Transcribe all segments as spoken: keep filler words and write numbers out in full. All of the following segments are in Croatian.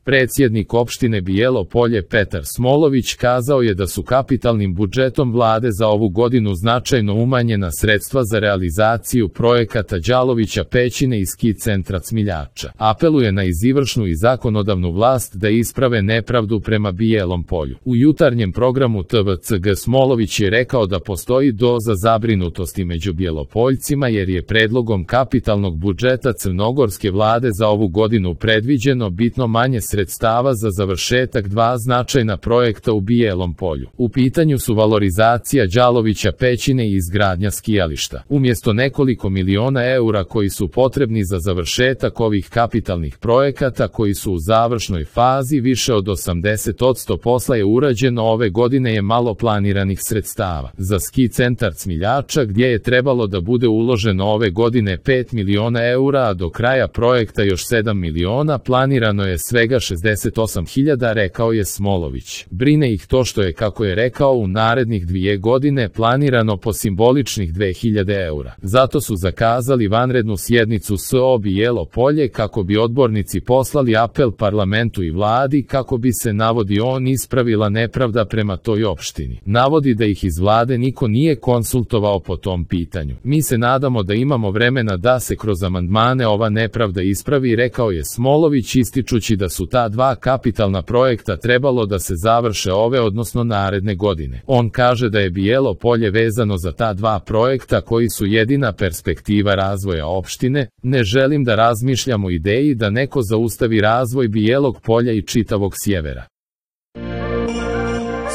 Predsjednik opštine Bijelo Polje Petar Smolović kazao je da su kapitalnim budžetom vlade za ovu godinu značajno umanjena sredstva za realizaciju projekata Đalovića Pećine i ski centra Cmiljača. Apeluje na izvršnu i zakonodavnu vlast da isprave nepravdu prema Bijelom Polju. U jutarnjem programu T V C G Smolović je rekao da postoji doza zabrinutosti među Bjelopoljcima jer je predlogom kapitalnog budžeta crnogorske vlade za ovu godinu predviđeno bitno manje sredstava za završetak dva značajna projekta u Bijelom Polju. U pitanju su valorizacija Đalovića Pećine i izgradnja skijališta. Umjesto nekoliko miliona eura koji su potrebni za završetak ovih kapitalnih projekata koji su u završnoj fazi, više od osamdeset posto posla je urađeno ove godine je malo planiranih sredstava. Za ski centar Cmiljača gdje je trebalo da bude uloženo ove godine pet miliona eura, a do kraja projekta još sedam miliona, planirano je svega šezdeset osam hiljada, rekao je Smolović. Brine ih to što je, kako je rekao, u narednih dvije godine planirano po simboličnih dve hiljade eura. Zato su zakazali vanrednu sjednicu S O Bijelo Polje kako bi odbornici poslali apel parlamentu i vladi kako bi se, navodi on, ispravila nepravda prema toj opštini. Navodi da ih iz vlade niko nije konsultovao po tom pitanju. Mi se nadamo da imamo vremena da se kroz amandmane ova nepravda ispravi, rekao je Smolović, ističući da su ta dva kapitalna projekta trebalo da se završe ove, odnosno naredne godine. On kaže da je Bijelo Polje vezano za ta dva projekta koji su jedina perspektiva razvoja opštine. Ne želim da razmišljam o ideji da neko zaustavi razvoj Bijelog Polja i čitavog sjevera.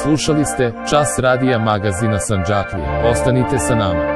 Slušali ste Čas radija magazina Sandžaklija. Ostanite sa nama.